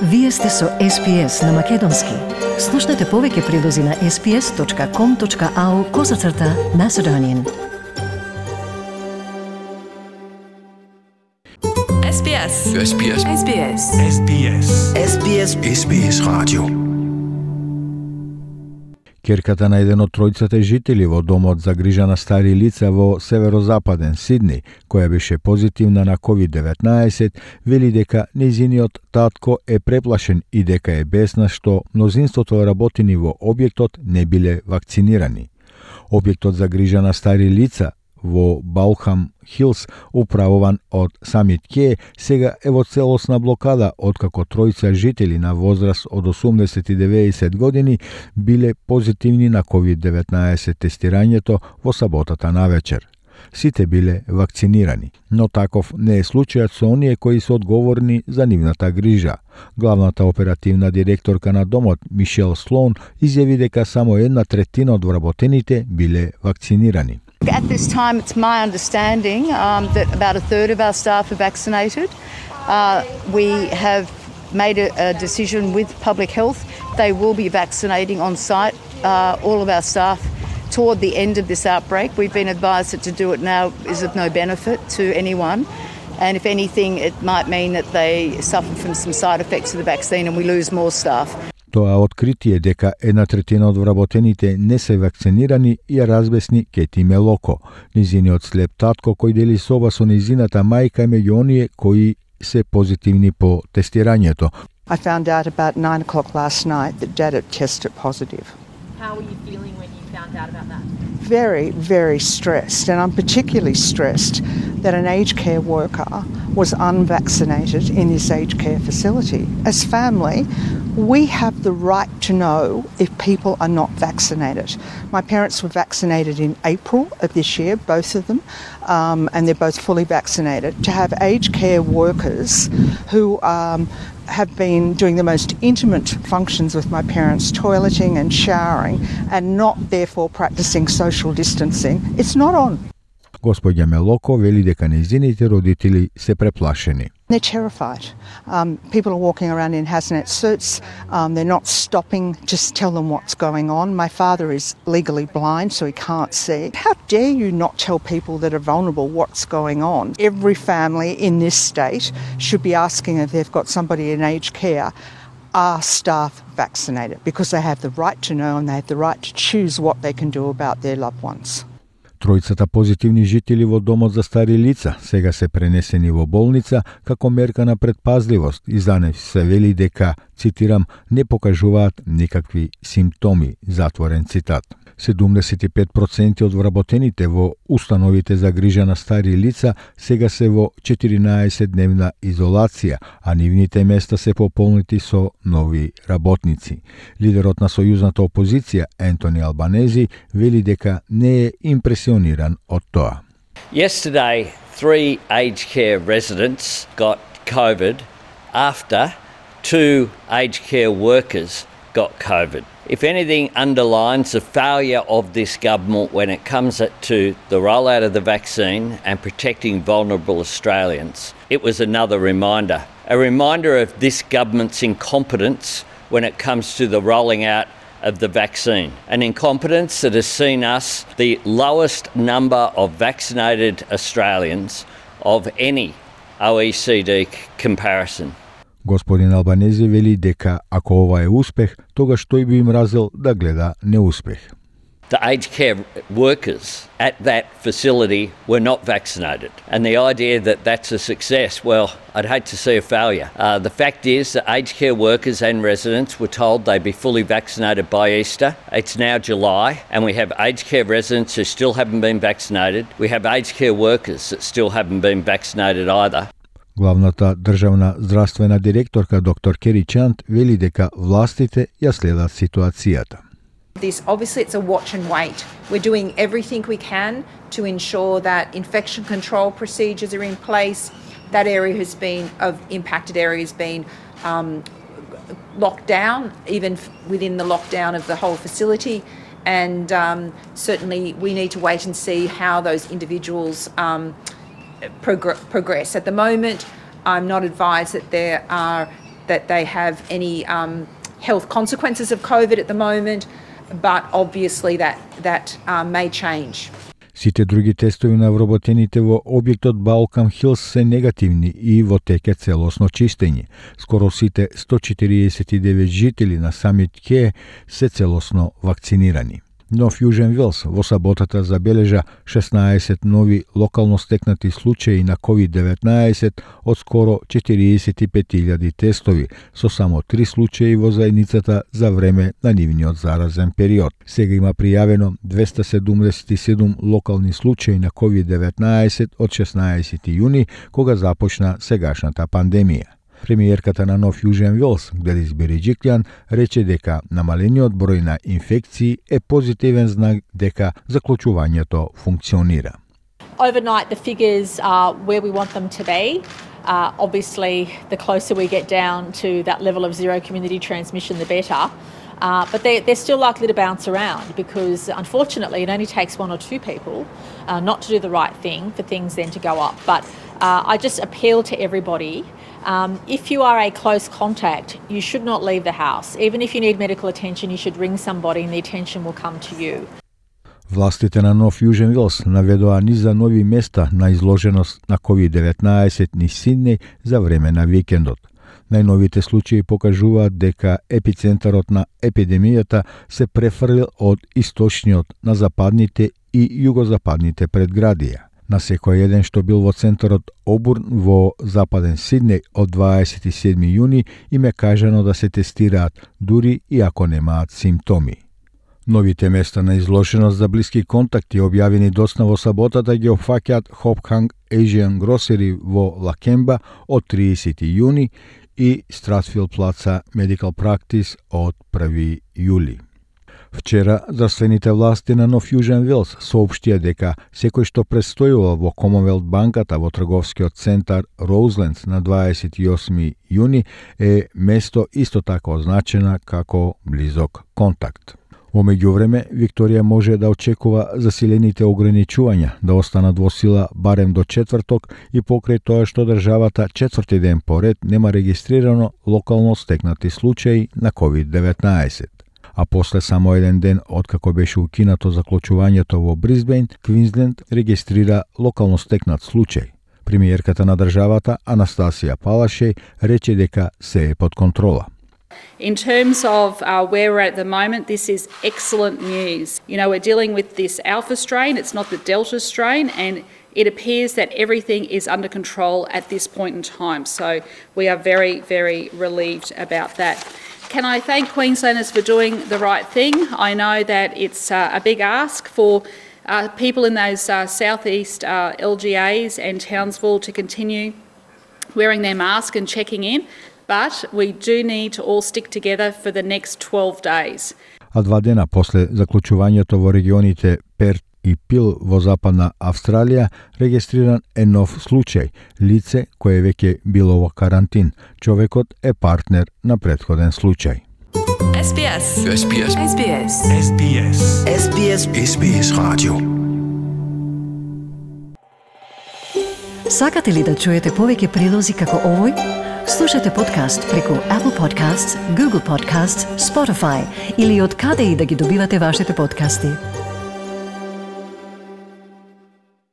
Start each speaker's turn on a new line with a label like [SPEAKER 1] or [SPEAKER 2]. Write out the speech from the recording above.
[SPEAKER 1] Вие сте со SPS на Македонски. Слушнете повеќе прилози на sps.com.au/Macedonian.
[SPEAKER 2] SBS.
[SPEAKER 3] SBS.
[SPEAKER 2] SBS.
[SPEAKER 3] SBS.
[SPEAKER 4] SBS. SBS радио.
[SPEAKER 5] Ќерката на еден од тројцата жители во домот за грижа на стари лица во северозападен Сидни, која беше позитивна на COVID-19, вели дека нејзиниот татко е преплашен и дека е бесна што мнозинството работени во објектот не биле вакцинирани. Објектот за грижа на стари лица во Балхам Хилс, управуван од Самит Ке, сега е во целосна блокада откако тројца жители на возраст од 80 и 90 години биле позитивни на COVID-19 тестирањето во саботата навечер. Сите биле вакцинирани, но таков не е случајот со оние кои се одговорни за нивната грижа. Главната оперативна директорка на домот, Мишел Слоун, изјави дека само 1/3 од вработените биле вакцинирани.
[SPEAKER 6] At this time, it's my understanding that about a third of our staff are vaccinated. We have made a decision with public health. They will be vaccinating on site all of our staff toward the end of this outbreak. We've been advised that to do it now is of no benefit to anyone. And if anything, it might mean that they suffer from some side effects of the vaccine and we lose more staff.
[SPEAKER 5] Тоа откритие дека 1/3 од вработените не се вакцинирани ја разбесни Кети Мелоко, низиниот слеп татко кој дели соба со низината мајка меѓу оние кои се позитивни по тестирањето.
[SPEAKER 7] I found out about 9 o'clock last night that Dad had tested positive.
[SPEAKER 8] How were you feeling when you found out about that?
[SPEAKER 7] Very, very stressed, and I'm particularly stressed that an aged care worker was unvaccinated in this aged care facility. As family, we have the right to know if people are not vaccinated. My parents were vaccinated in April of this year, both of them, and they're both fully vaccinated. To have aged care workers who have been doing the most intimate functions with my parents, toileting and showering, and not therefore practicing social distancing, it's not on.
[SPEAKER 5] Господја Мелоко вели дека нејзините родители се преплашени.
[SPEAKER 7] They're terrified. People are walking around in hazmat suits. They're not stopping just to tell them what's going on. My father is legally blind, so he can't see. How dare you not tell people that are vulnerable what's going on? Every family in this state should be asking if they've got somebody in aged care, are staff vaccinated? Because they have the right to know and they have the right to choose what they can do about their loved ones.
[SPEAKER 5] Тројцата позитивни жители во домот за стари лица сега се пренесени во болница како мерка на предпазливост и за нив се вели дека, цитирам, не покажуваат никакви симптоми, затворен цитат. 75% од вработените во установите за грижа на стари лица сега се во 14-дневна изолација, а нивните места се пополнети со нови работници. Лидерот на сојузната опозиција, Ентони Албанези, вели дека не е импресиониран од тоа.
[SPEAKER 9] Yesterday, 3 aged care residents got COVID after 2 aged care workers got COVID. If anything underlines the failure of this government when it comes to the rollout of the vaccine and protecting vulnerable Australians, it was another reminder. A reminder of this government's incompetence when it comes to the rolling out of the vaccine. An incompetence that has seen us the lowest number of vaccinated Australians of any OECD comparison.
[SPEAKER 5] Господин Албанези вели дека ако ова е успех, тогаш тој би им разел да гледа неуспех.
[SPEAKER 9] The aged care workers at that facility were not vaccinated. And the idea that that's a success, well, I'd hate to see a failure. The fact is that aged care workers and residents were told they'd be fully vaccinated by Easter. It's now July, and we have aged care residents who still haven't been vaccinated. We have aged care workers that still haven't been vaccinated either.
[SPEAKER 5] Главната државна здравствена директорка доктор Кери Чант вели дека властите ја следат ситуацијата.
[SPEAKER 8] Obviously it's a watch and wait. We're doing everything we can to ensure that infection control procedures are in place. That area has been, of impacted areas, been locked down, even within the lockdown of the whole facility. And certainly we need to wait and see how those individuals progress. At the moment, I'm not advised that there are that they have any health consequences of COVID at the moment, but obviously that may change.
[SPEAKER 5] Сите други тестови на вработените во објектот Балкам Хилс се негативни и во теке целосно чистење. Скоро сите 149 жители на Самит Ке се целосно вакцинирани. Нов Јужен Велс во саботата забележа 16 нови локално стекнати случаи на COVID-19 од скоро 45.000 тестови, со само 3 случаи во заедницата за време на нивниот заразен период. Сега има пријавено 277 локални случаи на COVID-19 од 16 јуни, кога започна сегашната пандемија. Премиерката на Нов Јужен Велс, Гледис Береджиклјан, рече дека намалениот број на инфекции е позитивен знак дека заклучувањето функционира.
[SPEAKER 2] Overnight, the figures are where we want them to be. Obviously, the closer we get down to that level of zero community transmission, the better. But they're still likely to bounce around because, unfortunately, it only takes one or two people not to do the right thing for things then to go up. But I just appeal to everybody. If you are a close contact, you should not leave the house. Even if you need medical attention, you should ring somebody and the attention will come to you.
[SPEAKER 5] Властите на Нов Јужен Велс наведоа низ за нови места на изложеност на COVID-19 низ Сиднеј за време на викендот. Најновите случаи покажуваат дека епицентарот на епидемијата се префрлил од источниот на западните и југозападните предградија. На секој еден што бил во центарот Обурн во западен Сиднеј од 27 јуни им е кажано да се тестираат дури и ако немаат симптоми. Новите места на изложеност за блиски контакти објавени доцна во саботата ги опфаќаат Hopkang Asian Grocery во Лакемба од 30 јуни и Стратфилд Плаца Medical Practice од 1 јули. Вчера, здравствените власти на Нов Јужен Велс соопштија дека секој што престојува во Commonwealth банката во трговскиот центар Роузлендс на 28 јуни е место исто така означена како близок контакт. Во меѓувреме, Викторија може да очекува засилените ограничувања да останат во сила барем до четврток и покрај тоа што државата четврти ден поред нема регистрирано локално стекнати случаи на COVID-19. А после само еден ден откако беше укинато заклучувањето во Брисбејн, Квинсленд регистрира локално стекнат случај. Премиерката на државата Анастасија Палашеј рече дека се е под контрола.
[SPEAKER 3] In terms of where we're at the moment, this is excellent news. You know, we're dealing with this alpha strain, it's not the delta strain, and it appears that everything is under control at this point in time. So we are very, very relieved about that. Can I thank Queenslanders for doing the right thing? I know that it's a big ask for people in those southeast LGAs and Townsville to continue wearing their mask and checking in. But we do need to all stick together for the next 12 days.
[SPEAKER 5] А 2 дена после заклучувањето во регионите Перт и Пил во Западна Австралија регистриран е нов случај, лице кое веќе било во карантин. Човекот е партнер на претходен случај.
[SPEAKER 10] SBS.
[SPEAKER 4] SBS.
[SPEAKER 10] SBS.
[SPEAKER 4] SBS. SBS. SBS Radio.
[SPEAKER 1] Сакате ли да чуете повеќе прилози како овој? Слушате подкаст преку Apple Podcasts, Google Podcasts, Spotify или од каде и да ги добивате вашите подкасти.